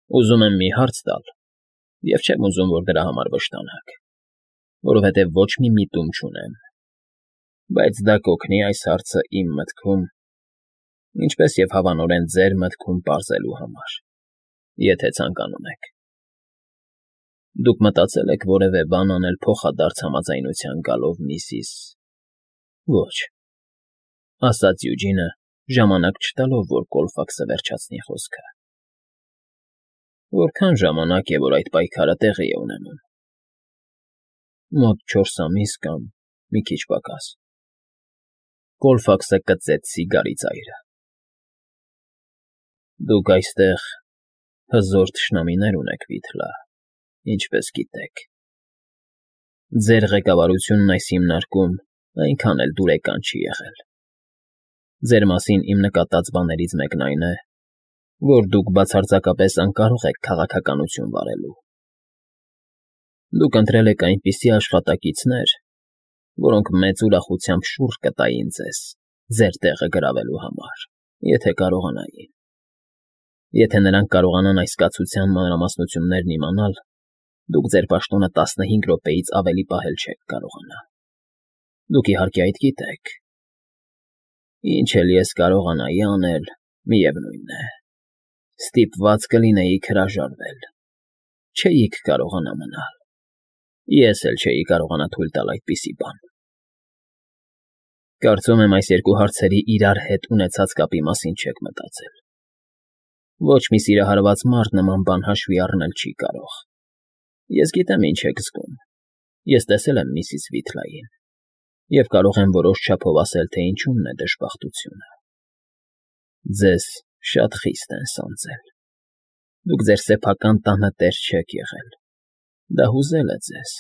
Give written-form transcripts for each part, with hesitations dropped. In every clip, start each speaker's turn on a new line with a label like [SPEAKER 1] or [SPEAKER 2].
[SPEAKER 1] Ուզում եմ մի հարց տալ, և չեմ ուզում, որ դրա համար վշտանաք, որովհետև ոչ մի միտում չունեմ, բայց դա կօգնի այս հարցը իմ մտքում, ինչպես և հավանորեն ձեր մտքում պարզելու համար, եթե ցանկանում եք։ Դուք մտածե՞լ եք որևէ բան անել փոխադարձ համաձայնության գալով միսիս… Ոչ, ասաց Յուջինը, ժամանակ չտալով, որ Կոլֆաքսը վերջացնի խոսքը։ Որքան ժամանակ է, որ այդ պայքարը տեղի է ունենում։ Մոտ 4 ամիս կամ մի քիչ պակաս։ Կոլֆաքսը կծեց սիգարի ծայրը։ Դուք այստեղ հզոր թշնամիներ ունեք, Վիթլա, ինչպես գիտեք։ Ձեր ղեկավարությունն այս հիմնարկում այնքան էլ դուրեկան չի եղել։ Ձեր մասին իմ նկատած բաներից մեկն այն է, որ դուք բացարձակապես անկարող եք քաղաքականություն վարելու։ Դուք ընտրել եք այնպիսի աշխատակիցներ, որոնք մեծ ուրախությամբ շուռ կտային ձեզ ձեր տեղը գրավելու համար, եթե կարողանային։ Եթե նրանք կարողանան այս կացության մանրամասնություններն իմանալ, դուք ձեր պաշտոնը 15 րոպեից ավելի պահել չեք կարողանա։ Դուք իհարկե այդ գիտեք։ Ինչ էլ ես կարողանայի անել, միևնույն է, ստիպված կլինեիք հրաժարվել, չէիք կարողանա մնալ, ես էլ չէի կարողանա թույլ տալ այդպիսի բան։ Կարծում եմ այս երկու հարցերի իրար հետ ունեցած կապի մասին չեք մտածել։ Ոչ մի սիրահարված մարդ նման բան հաշվի առնել չի կարող։ Ես գիտեմ ինչ եք զգում, ես տեսել եմ միսիս Վիթլային և կարող եմ որոշ չափով ասել, թե ինչումն է դժբախտությունը։ Ձեզ շատ խիստ են սանձել։ Դուք ձեր սեփական տանը տեր չեք եղել, դա հուզել է ձեզ։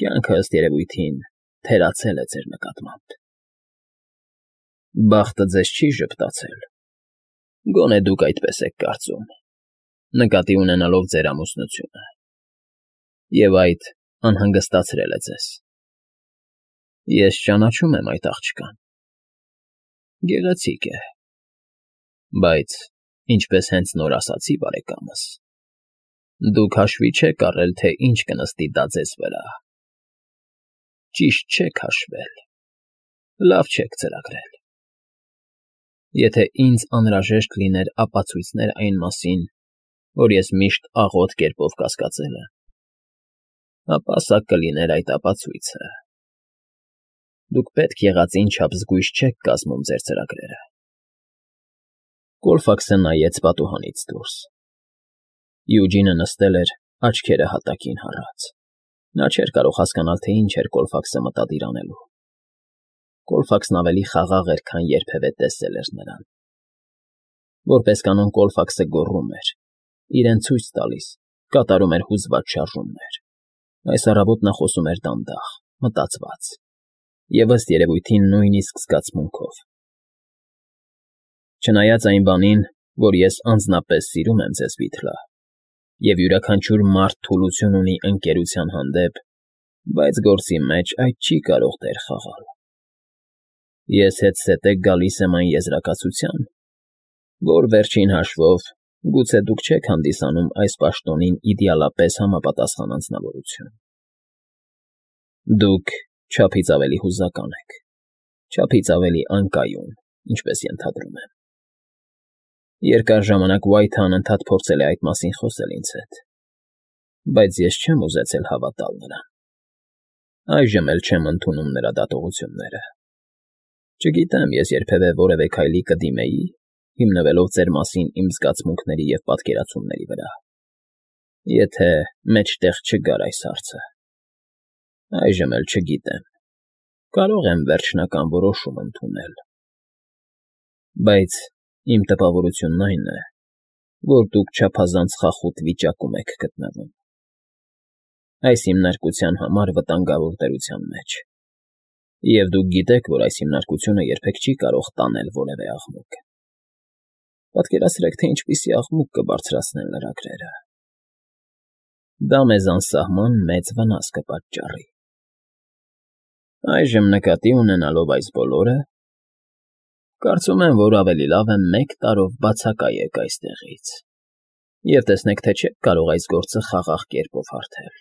[SPEAKER 1] Կյանքը, ըստ երևույթին, թերացել է ձեր նկատմամբ։ Բախտը ձեզ չի ժպտացել, գոնե դուք այդպես եք կարծում, նկատի ունենալով ձեր ամուսնությունը, և այդ անհանգստացրել է ձեզ։ Ես ճանաչում եմ այդ աղջկան։ Գեղեցիկ է, բայց, ինչպես հենց նոր ասացի բարեկամս, դուք հաշվի չեք առել, թե ինչ կնստի դա ձեզ վրա։ Ճիշտ չեք հաշվել, լավ չեք ծրագրել։ Եթե ինձ անհրաժեշտ լիներ ապացույցներ այն մասին, որ ես միշտ աղոտ կերպով կասկածել եմ, ապա սա կլիներ այդ ապացույցը։ Դուք պետք եղածին չափ զգույշ չեք կազմում ձեր ծրագրերը։ Կոլֆաքսը նայեց պատուհանից դուրս։ Յուջինը նստել էր, աչքերը հատակին հառած։ Նա չէր կարող հասկանալ, թե ինչ էր Կոլֆաքսը մտադիր անելու։ Կոլֆաքսն ավելի խաղաղ էր, քան երբևէ տեսել էր նրան։ Որպես կանոն Կոլֆաքսը գոռում էր, իրեն ցույց տալիս, կատարում էր հուզված շարժումներ։ Այս առավոտ նա խոսում էր դանդաղ, մտածված և ըստ երևույթին նույնիսկ զգացմունքով։ Չնայած այն բանին, որ ես անձնապես սիրում եմ ձեզ, Վիթլա, և յուրաքանչյուր մարդ թուլություն ունի ընկերության հանդեպ, բայց գործի մեջ այդ չի կարող դեր խաղալ։ Ես հետզհետե գալիս եմ այն եզրակացության, որ վերջին հաշվով գուցե դուք չեք հանդիսանում այս պաշտոնին իդեալապես համապատասխան անձնավորություն։ Դուք չափից ավելի հուզական եք, չափից ավելի անկայուն, ինչպես ենթադրում եմ։ Երկար ժամանակ Ուայթը անընդհատ փորձել է այդ մասին խոսել ինձ հետ, բայց ես չեմ ուզեցել հավատալ նրան։ Այժմ էլ չեմ ընդունում նրա դատողությունները։ Չգիտեմ, ես երբևէ որևէ քայլի կդիմեի, հիմնվելով ձեր մասին իմ զգացմունքների և պատկերացումների վրա, եթե մեջտեղ չգար այս հարցը։ Այժմ էլ չգիտեմ, կարող եմ վերջնական որոշում ընդունել։ Բայց իմ տպավորությունն այն է, որ դուք չափազանց խախուտ վիճակում եք գտնվում։ Այս հիմնարկության համար վտանգավոր դրության մեջ։ Եվ դուք գիտեք, որ այս հիմնարկությունը երբեք չի կարող տանել որևէ աղմուկ։ Պատկերացրեք, թե ինչպիսի աղմուկ կբարձրացնեն լրագրերը։ Դա մեզ անսահման մեծ վնաս կպատճառի։ Այժմ նկատի ունենալով այս բոլորը, կարծում եմ, որ ավելի լավ է մեկ տարով բացակայեք այստեղից։ Եվ տեսնեք, թե չեք կարող այս գործը խաղաղ կերպով հարթել։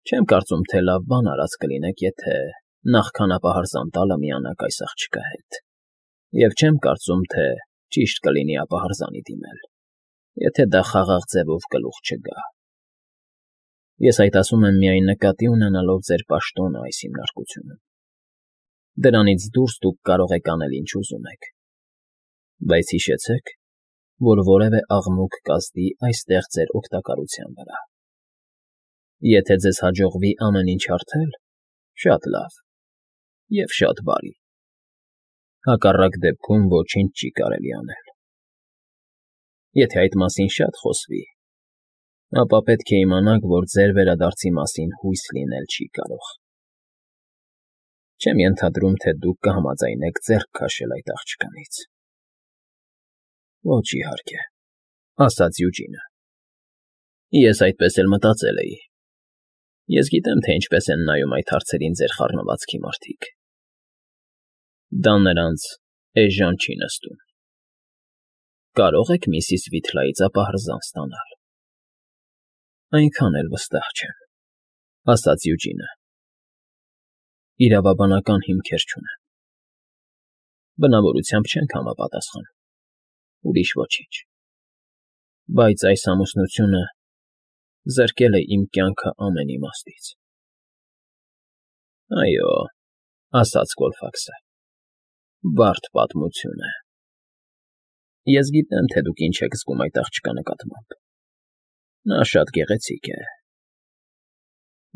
[SPEAKER 1] Չեմ կարծում, թե լավ բան արած կլինեք, եթե նախքան ապահարզան տալը միանաք այս աղջկա հետ, և չեմ կարծում, թե ճիշտ կլինի ապահարզանի դիմել, եթե դա խաղաղ ձևով գլուխ չգա։ Ես այդ ասում եմ միայն նկատի ունենալով ձեր պաշտոնը այս հիմնարկությունում։ Դրանից դուրս դուք կարող եք անել ինչ ուզում եք, բայց հիշեցեք, որ որևէ աղմուկ կազդի այստեղ ձեր օգտակարության վրա։ Եթե ձեզ հաջողվի ամեն ինչ հարթել, շատ լավ և շատ բարի։ Հակառակ դեպքում ոչինչ չի կարելի անել։ Եթե այդ մասին շատ խոսվի, ապա պետք է իմանաք, որ ձեր վերադարձի մասին հույս լինել չի կարող։ Չեմ ենթադրում, թե դուք կհամաձայնեք ձեռք քաշել այդ աղջկանից։ Ոչ, իհարկե, ասաց Յուջինը։ Ես այդպես էլ մտածել էի։ Ես գիտեմ, թե ինչպես են նայում այդ հարցերին ձեր խառնվածքի մարդիկ։ Դա նրանց էժան չի նստում։ Կարող եք միսիս Վիթլայից ապահարզան ստանալ։ Այնքան էլ վստահ չեմ, ասաց Յուջինը։ Իրավաբանական հիմքեր չունեմ։ Բնավորությամբ չենք համապատասխան։ Ուրիշ ոչինչ։ Բայց այս ամուսնությունը զրկել է իմ կյանքը ամեն իմաստից։ Այո, ասաց Կոլֆաքսը, բարդ պատմություն է։ Ես գիտեմ, թե դուք ինչ եք զգում այդ աղջկա նկատմամբ։ Նա շատ գեղեցիկ է։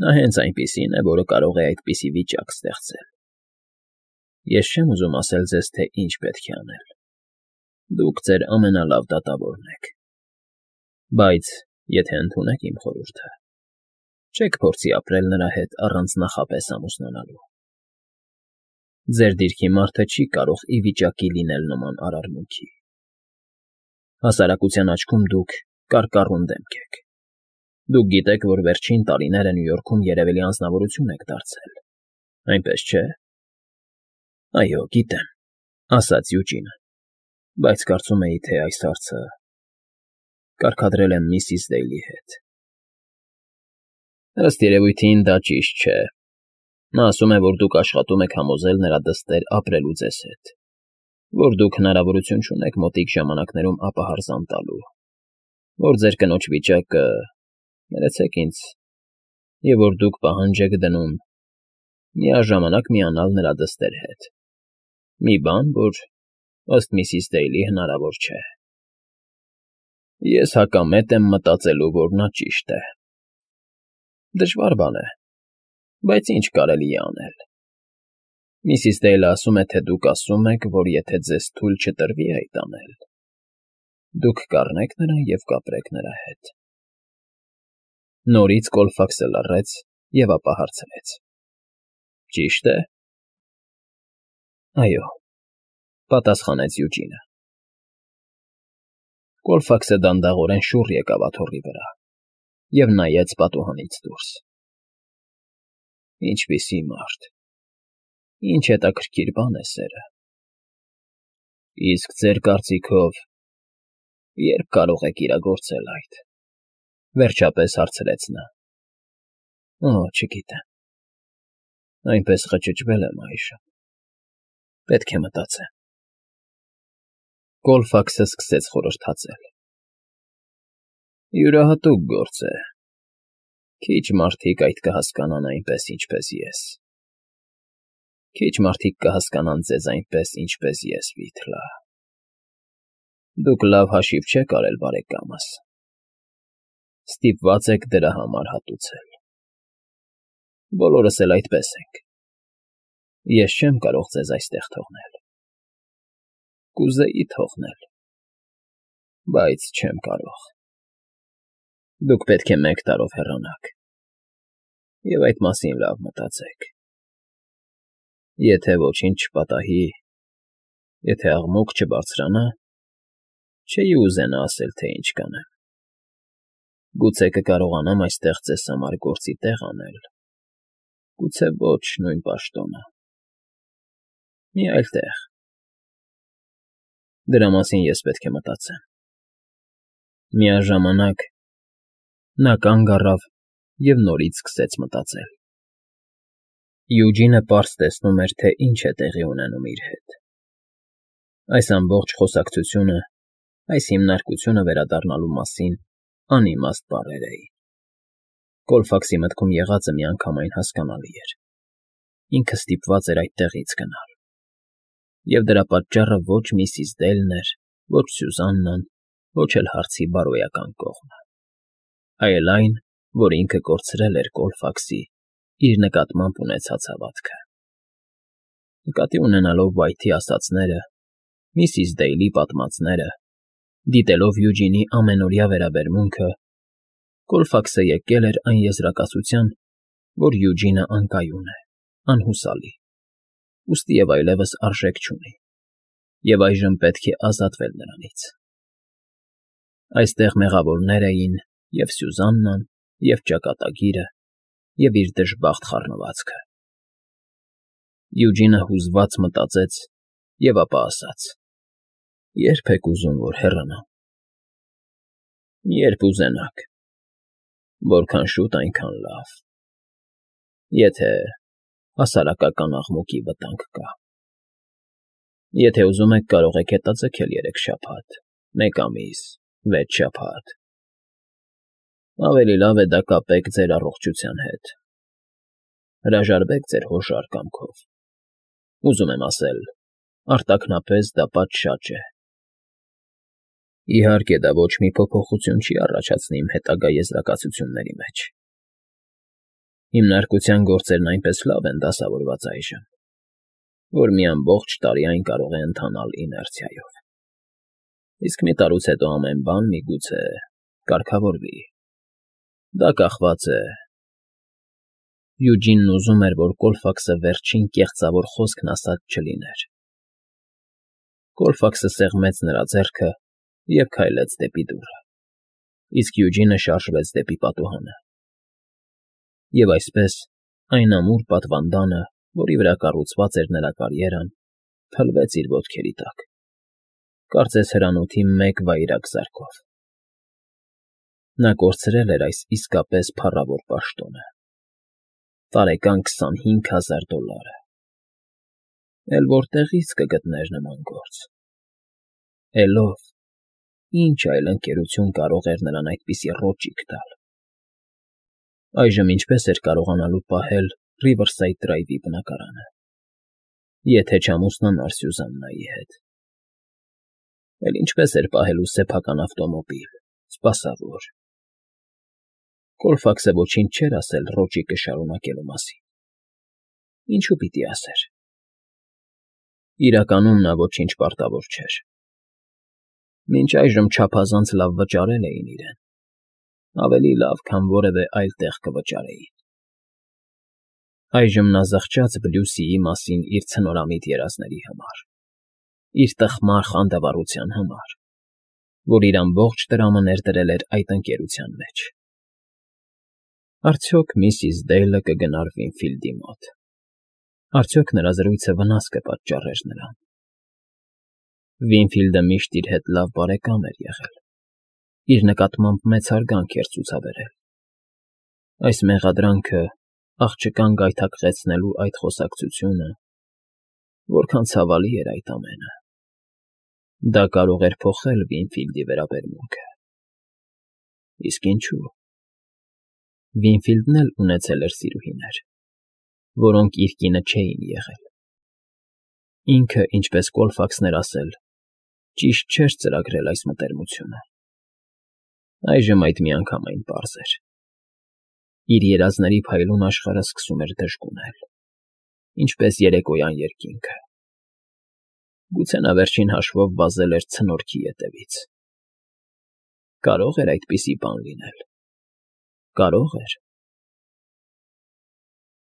[SPEAKER 1] Նա հենց այնպիսին է, որը կարող է այդպիսի վիճակ ստեղծել։ Ես չեմ ուզում ասել ձեզ, թե ինչ պետք է անել։ Դուք ձեր ամենալավ դատավորն եք։ Բայց եթե ընդունեք իմ խորհուրդը, չեք փորձի ապրել նրա հետ առանց նախապես ամուսնանալու։ Ձեր դիրքի մարդը չի կարող ի վիճակի լինել նման արարմունքի։ Հասարակության աչքում դուք կարկառուն դեմք եք։ Դուք գիտեք, որ վերջին տարիները Նյու Յորքում երևելի անձնավորություն եք դարձել, այնպես չէ։ Այո, գիտեմ, ասաց Յուջինը, բայց կարծում էի, թե այս հարցը կարգադրել եմ միսիս Դեյլի հետ։ Ըստ երևույթին դա ճիշտ չէ։ Նա ասում է, որ դուք աշխատում եք համոզել նրա դստեր ապրելու ձեզ հետ, որ դուք հնարավորություն չունեք մոտիկ ժամանակներում ապահարզան տալու, որ ձեր կնոջ վիճակը, ներեցեք ինձ, և որ դուք պահանջ եք դնում միաժամանակ միանալ նրա դստեր հետ։ Մի բան, որ ըստ միսիս Դեյլի հնարավոր չէ։ Ես հակամետ եմ մտածելու, որ նա ճիշտ է։ Դժվար բան է, բայց ինչ կարելի է անել։ Միսիս Դեյլը ասում է, թե դուք ասում եք, որ եթե ձեզ թույլ չտրվի այդ անել, դուք կառնեք նրան և կապրեք նրա հետ։ Նորից Կոլֆաքսը լռեց և ապա հարցրեց. Ճիշտ է։ Այո, պատասխանեց Յուջինը։ Կոլֆաքսը դանդաղորեն շուռ եկավ աթոռի վրա և նայեց պատուհանից դուրս։ Ինչպիսի մարդ, ինչ հետաքրքիր բան է սերը։ Իսկ ձեր կարծիքով երբ կարող եք իրագործել այդ, վերջապես հարցրեց նա։ Օ, չգիտեմ։ Այնպես խճճվել եմ այժմ։ Պետք է մտածեմ։ Կոլֆաքսը սկսեց խորհրդածել։ Յուրահատուկ գործ է։ Քիչ մարդիկ այդ կհասկանան այնպես, ինչպես ես։ Քիչ մարդիկ կհասկանան ձեզ այնպես, ինչպես ես, Վիթլա։ Դուք լավ հաշիվ չեք արել բարեկամս։ Ստիպված եք դրա համար հատուցել։ Բոլորս էլ այդպես ենք։ Ես չեմ կարող ձեզ այստեղ թողնել։ Կուզեի թողնել, բայց չեմ կարող։ Դուք պետք է 1 տարով հեռանաք, և այդ մասին լավ մտածեք։ Եթե ոչինչ չպատահի, եթե աղմուկ չբարձրանա, չէի ուզենա ասել, թե ինչ կանեմ։ Գուցե կկարողանամ այստեղ ձեզ համար գործի տեղ անել, գուցե ոչ նույն պաշտոնը։ Մի այլ տեղ։ Դրա մասին ես պետք է մտածեմ։ Միաժամանակ նա կանգ առավ և նորից սկսեց մտածել։ Յուջինը պարզ տեսնում էր, թե ինչ է տեղի ունենում իր հետ։ Այս ամբողջ խոսակցությունը, այս հիմնարկությունը վերադառնալու մասին անիմաստ բառեր էին։ Կոլֆաքսի մտքում եղածը միանգամայն հասկանալի էր։ Ինքը ստիպված էր այդտեղից գնալ։ Եվ դրա պատճառը ոչ միսիս Դեյլն էր, ոչ Սյուզաննան, ոչ էլ հարցի բարոյական կողմը, այլ այն, որ ինքը կորցրել էր Կոլֆաքսի իր նկատմամբ ունեցած հավատքը։ Նկատի ունենալով Վայթի ասածները, միսիս Դեյլի պատմածները, դիտելով Յուջինի ամենօրյա վերաբերմունքը, Կոլֆաքսը եկել էր այն եզրակացության, որ Յուջինը անկայուն է, անհուսալի, ուստի և այլևս արժեք չունի, և այժմ պետք է ազատվել նրանից։ Այստեղ մեղավորներ էին և Սյուզաննան, և ճակատագիրը, և իր դժբախտ խառնվածքը։ Յուջինը հուզված մտածեց և ապա ասաց. «Ե՞րբ եք ուզում, որ հեռանամ»։ «Երբ ուզենաք, որքան շուտ, այնքան լավ, եթե հասարակական աղմուկի վտանգ կա։ Եթե ուզում եք, կարող եք հետաձգել 3 շաբաթ, 1 ամիս, 6 շաբաթ։ Ավելի լավ է դա կապեք ձեր առողջության հետ, հրաժարվեք ձեր հոշար կամքով։ Ուզում եմ ասել, արտաքնապես դա պատշաճ է։ Իհարկե, դա ոչ մի փոփոխություն չի առաջացնի իմ հետագա եզրակացությունների մեջ։ Հիմնարկության գործերն այնպես լավ են դասավորված այժմ, որ մի ամբողջ տարի այն կարող է ընթանալ իներցիայով։ Իսկ մի տարուց հետո ամեն բան միգուցե կարգավորվի։ Դա կախված է…» Յուջինն ուզում էր, որ Կոլֆաքսը վերջին կեղծավոր խոսքն ասած չլիներ։ Կոլֆաքսը սեղմեց նրա ձեռքը և քայլեց դեպի դուռը, իսկ Յուջինը շարժվեց դեպի պատուհանը։ Եվ այսպես այն ամուր պատվանդանը, որի վրա կառուցված էր նրա կարիերան, փլվեց իր ոտքերի տակ, կարծես հրանոթի մեկ վայրագ զարկով։ Նա կորցրել էր այս իսկապես փառավոր պաշտոնը, տարեկան $25,000։ Էլ որտեղի՞ց կգտներ նման գործ։ Էլ ով, ինչ այլ ընկերություն կարող էր նրան այդպիսի ռոճիկ տալ։ Այժմ ինչպե՞ս էր կարողանալու պահել Ռիվըրսայդ Դրայվի բնակարանը, եթե չամուսնանար Սյուզաննայի հետ։ Էլ ինչպե՞ս էր պահելու սեփական ավտոմոբիլ, սպասավոր։ Կոլֆաքսը ոչինչ չէր ասել ռոճիկը շարունակելու մասին։ Ինչու՞ պիտի ասեր։ Իրականում նա ոչինչ պարտավոր չէր։ Մինչ այժմ չափազանց լավ վճարել էին իրեն, ավելի լավ, քան որևէ այլ տեղ կվճարեին։ Այժմ նա զղջաց Բլյուսիի մասին իր ցնորամիտ երազների համար, իր տխմար խանդավառության համար, որ իր ամբողջ տրամը ներդրել էր այդ ընկերության մեջ։ Արդյոք միսիս Դեյլը կգնար Վինֆիլդի մոտ։ Արդյոք նրա զրույցը վնաս կպատճառեր նրան։ Վինֆիլդը միշտ իր հետ լավ բարեկամ էր եղել, իր նկատմամբ մեծ հարգանք էր ցուցաբերել։ Այս մեղադրանքը, աղջկան գայթակղեցնելու այդ խոսակցությունը… Որքան ցավալի էր այդ ամենը։ Դա կարող էր փոխել Վինֆիլդի վերաբերմունքը։ Իսկ ինչու՞։ Վինֆիլդն էլ ունեցել էր սիրուհիներ, որոնք իր կինը չէին եղել։ Ինքը, ինչպես Կոլֆաքսն էր ասել, ճիշտ չէր ծրագրել այս մտերմությունը։ Այժմ այդ միանգամայն պարզ էր։ Իր երազների փայլուն աշխարհը սկսում էր դժգունել, ինչպես երեկոյան երկինքը։ Գուցե նա վերջին հաշվով վազել էր ցնորքի ետևից։ Կարո՞ղ էր այդպիսի բան լինել։ Կարո՞ղ էր։